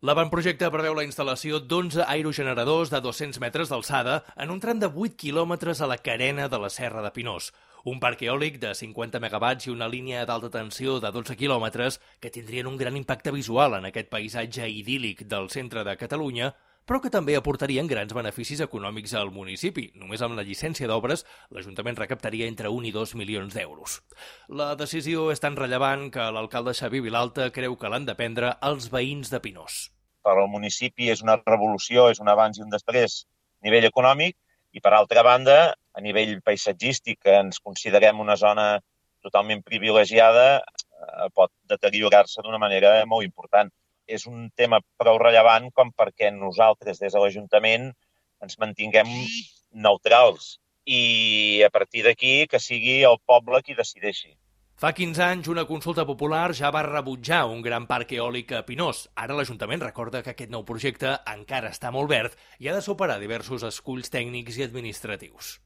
L'avantprojecte preveu la instal·lació d'11 aerogeneradors de 200 metres d'alçada en un tram de 8 quilòmetres a la carena de la Serra de Pinós. Un parc eòlic de 50 megawatts i una línia d'alta tensió de 12 quilòmetres que tindrien un gran impacte visual en aquest paisatge idíl·lic del centre de Catalunya, però que també aportarien grans beneficis econòmics al municipi. Només amb la llicència d'obres, l'Ajuntament recaptaria entre 1 i 2 milions d'euros. La decisió és tan rellevant que l'alcalde Xavier Vilalta creu que l'han de prendre els veïns de Pinós. Per al municipi és una revolució, és un abans i un després a nivell econòmic i, per altra banda, a nivell paisatgístic, que ens considerem una zona totalment privilegiada, pot deteriorar-se d'una manera molt important. És un tema prou rellevant com perquè nosaltres, des de l'Ajuntament, ens mantinguem neutrals i, a partir d'aquí, que sigui el poble qui decideixi. Fa 15 anys, una consulta popular ja va rebutjar un gran parc eòlic a Pinós. Ara l'Ajuntament recorda que aquest nou projecte encara està molt verd i ha de superar diversos esculls tècnics i administratius.